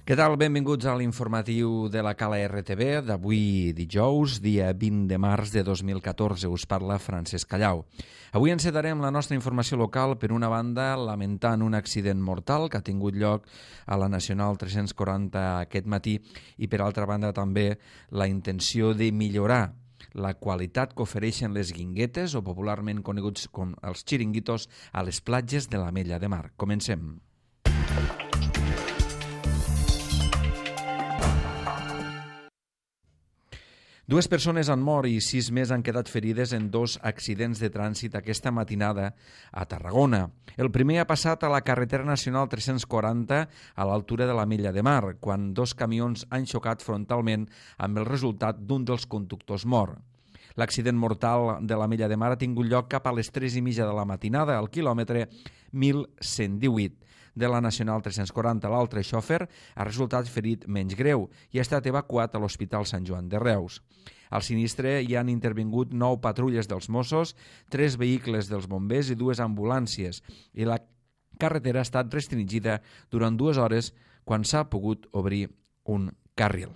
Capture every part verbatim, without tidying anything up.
Què tal? Benvinguts a l'informatiu de la Cala R T V d'avui dijous, dia vint de març de dos mil catorze. Us parla Francesc Callau. Avui encetarem la nostra informació local per una banda lamentant un accident mortal que ha tingut lloc a la Nacional tres-cents quaranta aquest matí i per altra banda també la intenció de millorar la qualitat que ofereixen les guinguetes o popularment coneguts com els xiringuitos a les platges de l'Ametlla de Mar. Comencem. Dues persones han mort i sis més han quedat ferides en dos accidents de trànsit aquesta matinada a Tarragona. El primer ha passat a la carretera nacional tres-cents quaranta a l'altura de l'Ametlla de Mar, quan dos camions han xocat frontalment amb el resultat d'un dels conductors mort. L'accident mortal de l'Ametlla de Mar ha tingut lloc cap a les tres i mitja de la matinada al quilòmetre mil cent divuit. De la Nacional tres-cents quaranta, l'altre xòfer ha resultat ferit menys greu i ha estat evacuat a l'Hospital Sant Joan de Reus. Al sinistre hi han intervingut nou patrulles dels Mossos, tres vehicles dels bombers i dues ambulàncies, i la carretera ha estat restringida durant dues hores quan s'ha pogut obrir un carril.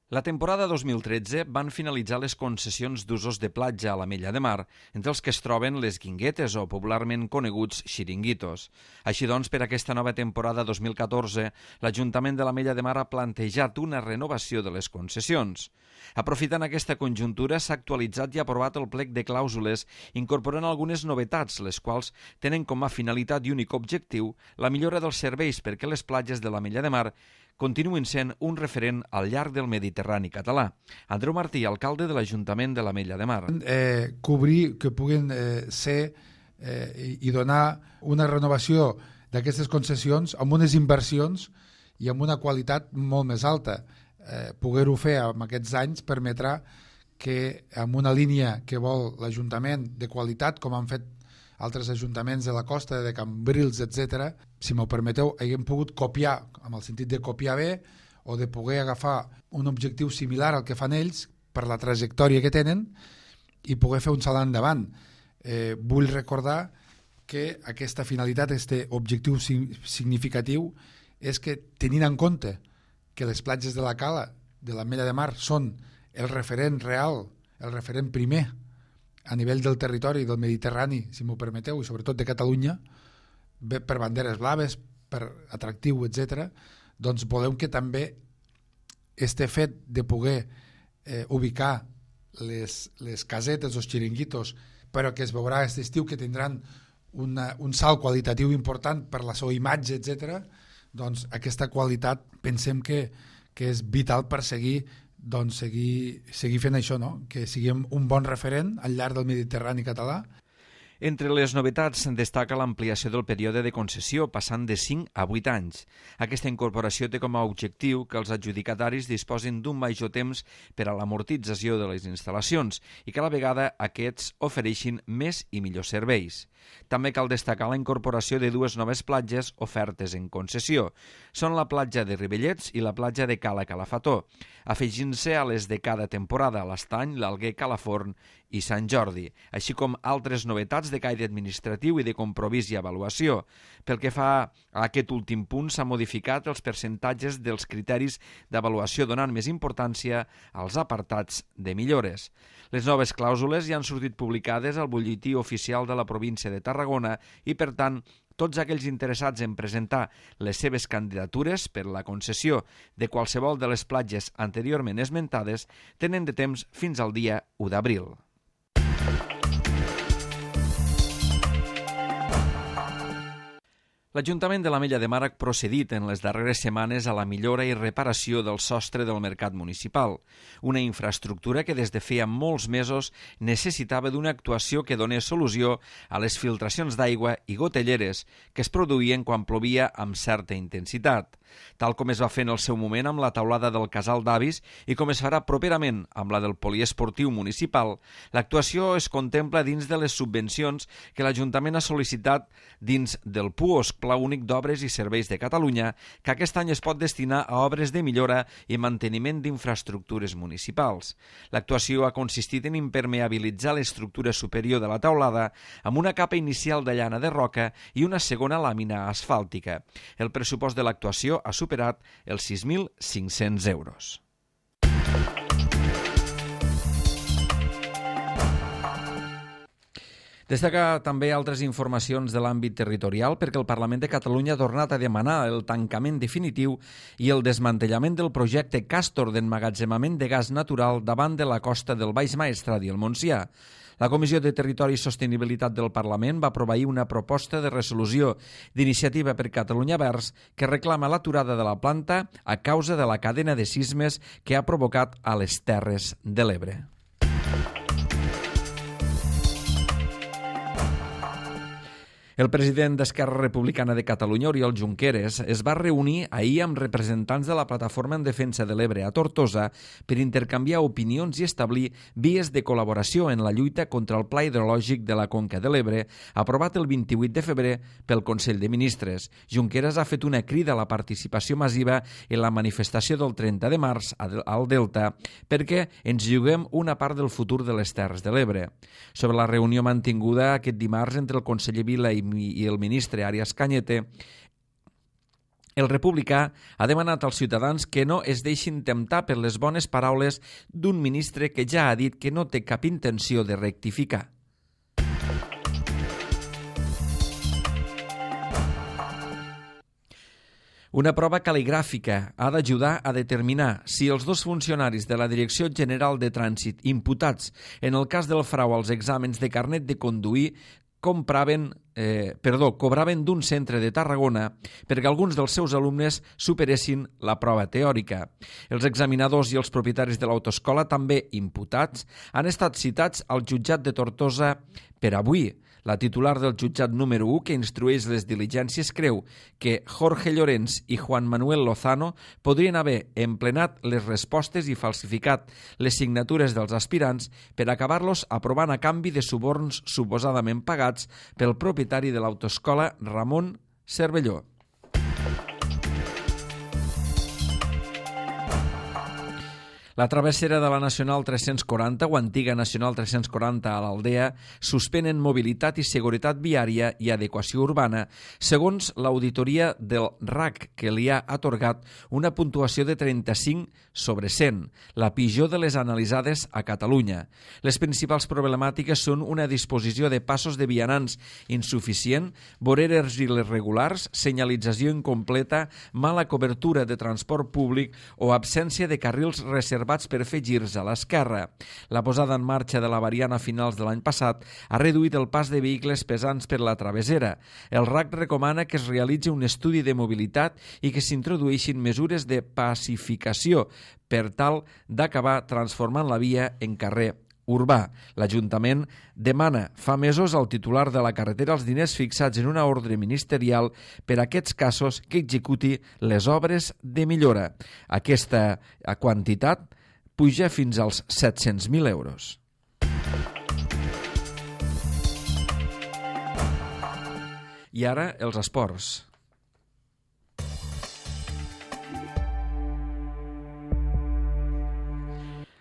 La temporada dos mil tretze van finalitzar les concessions d'usos de platja a l'Ametlla de Mar, entre els que es troben les guinguetes o popularment coneguts xiringuitos. Així doncs, per aquesta nova temporada dos mil catorze, l'Ajuntament de l'Ametlla de Mar ha plantejat una renovació de les concessions. Aprofitant aquesta conjuntura, s'ha actualitzat i aprovat el plec de clàusules, incorporant algunes novetats, les quals tenen com a finalitat i únic objectiu la millora dels serveis perquè les platges de l'Ametlla de Mar continuïn sent un referent al llarg del Mediterrani català. Andreu Martí, alcalde de l'Ajuntament de l'Ametlla de Mar. Eh, cobrir, que puguin eh, ser eh, i, i donar una renovació d'aquestes concessions amb unes inversions i amb una qualitat molt més alta. Eh, poder-ho fer en aquests anys permetrà que amb una línia que vol l'Ajuntament de qualitat, com han fet altres ajuntaments de la costa, de Cambrils, etcètera, si m'ho permeteu, haguem pogut copiar, amb el sentit de copiar bé, o de poder agafar un objectiu similar al que fan ells per la trajectòria que tenen i poder fer un salt endavant. Eh, vull recordar que aquesta finalitat, aquest objectiu significatiu, és que tenint en compte que les platges de la Cala, de l'Ametlla de Mar, són el referent real, el referent primer a nivell del territori del Mediterrani, si m'ho permeteu, i sobretot de Catalunya, per banderes blaves, per atractiu, etcètera, doncs volem que també este fet de poder eh, ubicar les, les casetes, els xiringuitos, però que es veurà aquest estiu que tindran una, un salt qualitatiu important per la seva imatge, etcètera, doncs aquesta qualitat pensem que, que és vital per seguir doncs seguir, seguir fent això, no? Que siguem un bon referent al llarg del Mediterrani català. Entre les novetats destaca l'ampliació del període de concessió, passant de cinc a vuit anys. Aquesta incorporació té com a objectiu que els adjudicataris disposin d'un major temps per a l'amortització de les instal·lacions i que a la vegada aquests ofereixin més i millors serveis. També cal destacar la incorporació de dues noves platges ofertes en concessió. Són la platja de Ribellets i la platja de Cala Calafató, afegint-se a les de cada temporada, l'Estany, l'Alguer, Calaforn i Sant Jordi, així com altres novetats de caire administratiu i de compromís i avaluació. Pel que fa a aquest últim punt, s'ha modificat els percentatges dels criteris d'avaluació, donant més importància als apartats de millores. Les noves clàusules ja han sortit publicades al butlletí oficial de la província de Tarragona i, per tant, tots aquells interessats en presentar les seves candidatures per la concessió de qualsevol de les platges anteriorment esmentades tenen de temps fins al dia u d'abril. L'Ajuntament de l'Ametlla de Mar ha procedit en les darreres setmanes a la millora i reparació del sostre del mercat municipal, una infraestructura que des de feia molts mesos necessitava d'una actuació que donés solució a les filtracions d'aigua i gotelleres que es produïen quan plovia amb certa intensitat. tal com es va fer en el seu moment amb la taulada del Casal d'Avis i com es farà properament amb la del poliesportiu municipal. L'actuació es contempla dins de les subvencions que l'Ajuntament ha sol·licitat dins del PUOS, Pla Únic d'Obres i Serveis de Catalunya, que aquest any es pot destinar a obres de millora i manteniment d'infraestructures municipals. L'actuació ha consistit en impermeabilitzar l'estructura superior de la taulada amb una capa inicial de llana de roca i una segona làmina asfàltica. El pressupost de l'actuació ha superat els sis mil cinc-cents euros. Destaca també altres informacions de l'àmbit territorial perquè el Parlament de Catalunya ha tornat a demanar el tancament definitiu i el desmantellament del projecte Castor d'emmagatzemament de gas natural davant de la costa del Baix Maestrat i el Montsià. La Comissió de Territori i Sostenibilitat del Parlament va aprovar ahir una proposta de resolució d'Iniciativa per Catalunya Verds que reclama l'aturada de la planta a causa de la cadena de sismes que ha provocat a les Terres de l'Ebre. El president d'Esquerra Republicana de Catalunya, Oriol Junqueras, es va reunir ahir amb representants de la Plataforma en Defensa de l'Ebre a Tortosa per intercanviar opinions i establir vies de col·laboració en la lluita contra el Pla Hidrològic de la Conca de l'Ebre, aprovat el vint-i-vuit de febrer pel Consell de Ministres. Junqueras ha fet una crida a la participació massiva en la manifestació del trenta de març al Delta perquè ens juguem una part del futur de les Terres de l'Ebre. Sobre la reunió mantinguda aquest dimarts entre el conseller Vila i i el ministre Arias Cañete, el republicà ha demanat als ciutadans que no es deixin temptar per les bones paraules d'un ministre que ja ha dit que no té cap intenció de rectificar. Una prova cal·ligràfica ha d'ajudar a determinar si els dos funcionaris de la Direcció General de Trànsit imputats en el cas del frau als exàmens de carnet de conduir compraven, eh, perdó, cobraven d'un centre de Tarragona perquè alguns dels seus alumnes superessin la prova teòrica. Els examinadors i els propietaris de l'autoescola, també imputats, han estat citats al jutjat de Tortosa per avui. La titular del jutjat número u, que instrueix les diligències, creu que Jorge Llorens i Juan Manuel Lozano podrien haver emplenat les respostes i falsificat les signatures dels aspirants per acabar-los aprovant a canvi de suborns suposadament pagats pel propietari de l'autoescola Ramon Cervelló. La travessera de la Nacional tres-cents quaranta o antiga Nacional tres-cents quaranta a l'Aldea suspenen mobilitat i seguretat viària i adequació urbana, segons l'auditoria del R A C, que li ha atorgat una puntuació de trenta-cinc sobre cent, la pitjor de les analitzades a Catalunya. Les principals problemàtiques són una disposició de passos de vianants insuficient, voreres irregulars, senyalització incompleta, mala cobertura de transport públic o absència de carrils reservats per fer girs a l'esquerra. La posada en marxa de la variant a finals de l'any passat ha reduït el pas de vehicles pesants per la travessera. El R A C recomana que es realitzi un estudi de mobilitat i que s'introdueixin mesures de pacificació per tal d'acabar transformant la via en carrer urbà. L'Ajuntament demana fa mesos al titular de la carretera els diners fixats en una ordre ministerial per a aquests casos que executi les obres de millora. Aquesta quantitat puja fins als set-cents mil euros. I ara els esports.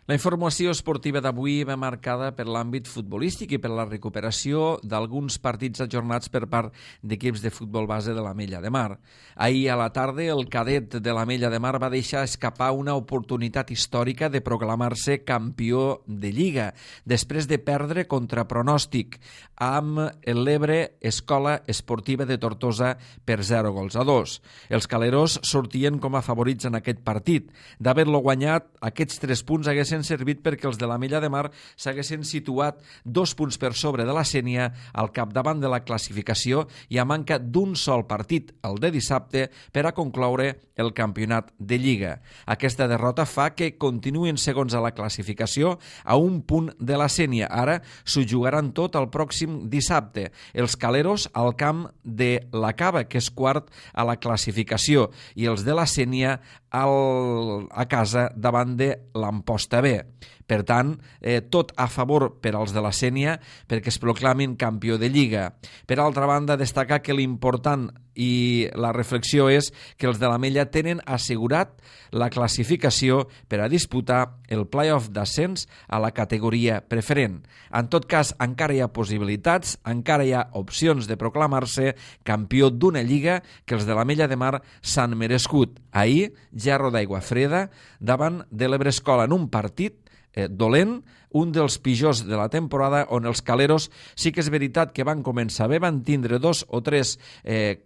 La informació esportiva d'avui va marcada per l'àmbit futbolístic i per la recuperació d'alguns partits ajornats per part d'equips de futbol base de l'Ametlla de Mar. Ahir a la tarda, el cadet de l'Ametlla de Mar va deixar escapar una oportunitat històrica de proclamar-se campió de Lliga, després de perdre contra pronòstic amb l'Ebre Escola Esportiva de Tortosa per zero gols a dos. Els caleros sortien com a favorits en aquest partit. D'haver-lo guanyat, aquests tres punts haguessin haguessin servit perquè els de l'Ametlla de Mar s'haguessin situat dos punts per sobre de la Sénia al capdavant de la classificació i a manca d'un sol partit, el de dissabte, per a concloure el campionat de Lliga. Aquesta derrota fa que continuïn segons a la classificació a un punt de la Sénia. Ara s'ho jugaran tot el pròxim dissabte. Els caleros al camp de la Cava, que és quart a la classificació, i els de la Sénia al, a casa davant de l'Amposta B. Per tant, eh, tot a favor per als de la Sénia perquè es proclamin campió de Lliga. Per altra banda, destacar que l'important i la reflexió és que els de l'Ametlla tenen assegurat la classificació per a disputar el play-off d'ascens a la categoria preferent. En tot cas, encara hi ha possibilitats, encara hi ha opcions de proclamar-se campió d'una lliga que els de l'Ametlla de Mar s'han merescut. Ahir, Gerro d'Aigua Freda davant de l'Ebrescola en un partit eh, dolent, un dels pitjors de la temporada, on els caleros sí que és veritat que van començar bé, van tindre dos o tres eh,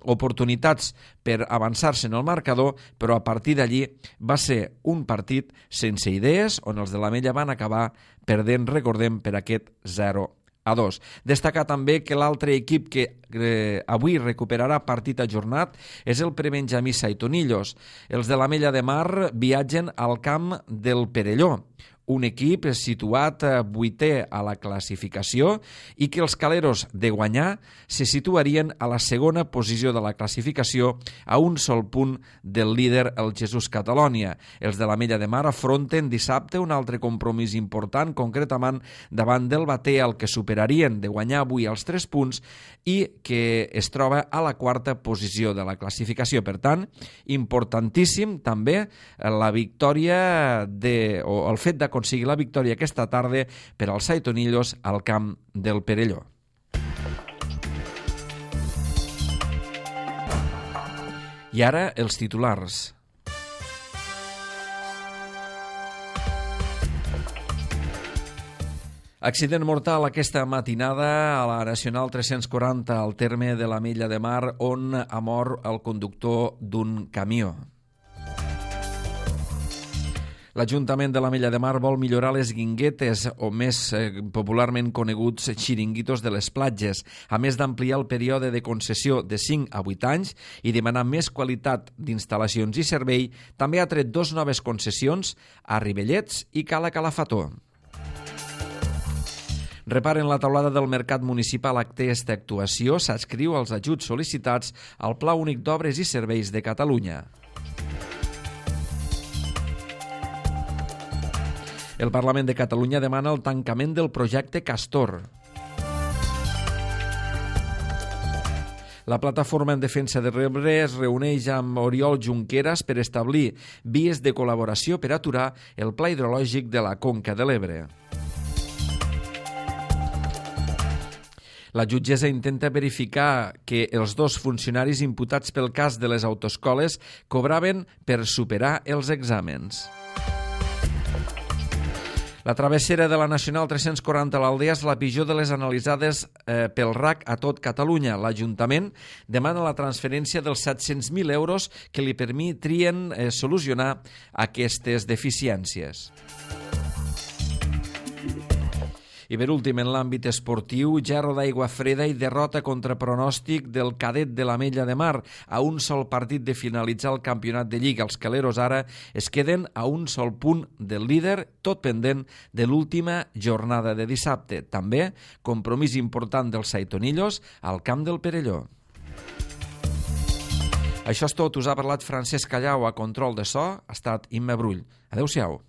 oportunitats per avançar-se en el marcador, però a partir d'allí va ser un partit sense idees, on els de l'Ametlla van acabar perdent, recordem, per aquest zero a dos. Destacar també que l'altre equip que eh, avui recuperarà partit ajornat és el Prebenjamí Saitonillos. Els de l'Ametlla de Mar viatgen al camp del Perelló, un equip situat vuitè a la classificació i que els caleros de guanyar se situarien a la segona posició de la classificació a un sol punt del líder, el Jesús Catalònia. Els de l'Ametlla de Mar afronten dissabte un altre compromís important, concretament davant del Batea, el que superarien de guanyar avui els tres punts i que es troba a la quarta posició de la classificació. Per tant, importantíssim també la victòria de, o el fet d'aconseguir aconseguir la victòria aquesta tarda per als Saitonillos al camp del Perelló. I ara els titulars. Accident mortal aquesta matinada a la Nacional tres-cents quaranta al terme de l'Ametlla de Mar, on ha mort el conductor d'un camió. L'Ajuntament de l'Ametlla de Mar vol millorar les guinguetes, o més eh, popularment coneguts xiringuitos de les platges, a més d'ampliar el període de concessió de cinc a vuit anys i demanar més qualitat d'instal·lacions i servei. També ha tret dos noves concessions a Ribellets i Cala Calafató. Reparen la taulada del Mercat Municipal. Aquesta actuació s'adscriu als ajuts sol·licitats al Pla Únic d'Obres i Serveis de Catalunya. El Parlament de Catalunya demana el tancament del projecte Castor. La plataforma en defensa de l'Ebre es reuneix amb Oriol Junqueras per establir vies de col·laboració per aturar el pla hidrològic de la Conca de l'Ebre. La jutgessa intenta verificar que els dos funcionaris imputats pel cas de les autoescoles cobraven per superar els exàmens. La travessera de la Nacional tres-cents quaranta a l'Aldea és la pitjor de les analitzades eh, pel R A C a tot Catalunya. L'Ajuntament demana la transferència dels set-cents mil euros que li permetrien eh, solucionar aquestes deficiències. I per últim, en l'àmbit esportiu, Gerro d'Aigua Freda i derrota contra pronòstic del cadet de l'Ametlla de Mar. A un sol partit de finalitzar el campionat de Lliga, els caleros ara es queden a un sol punt del líder, tot pendent de l'última jornada de dissabte. També compromís important dels Saitonillos al camp del Perelló. Això és tot. Us ha parlat Francesc Callau a control de so. Ha estat Imma Brull. Adéu-siau.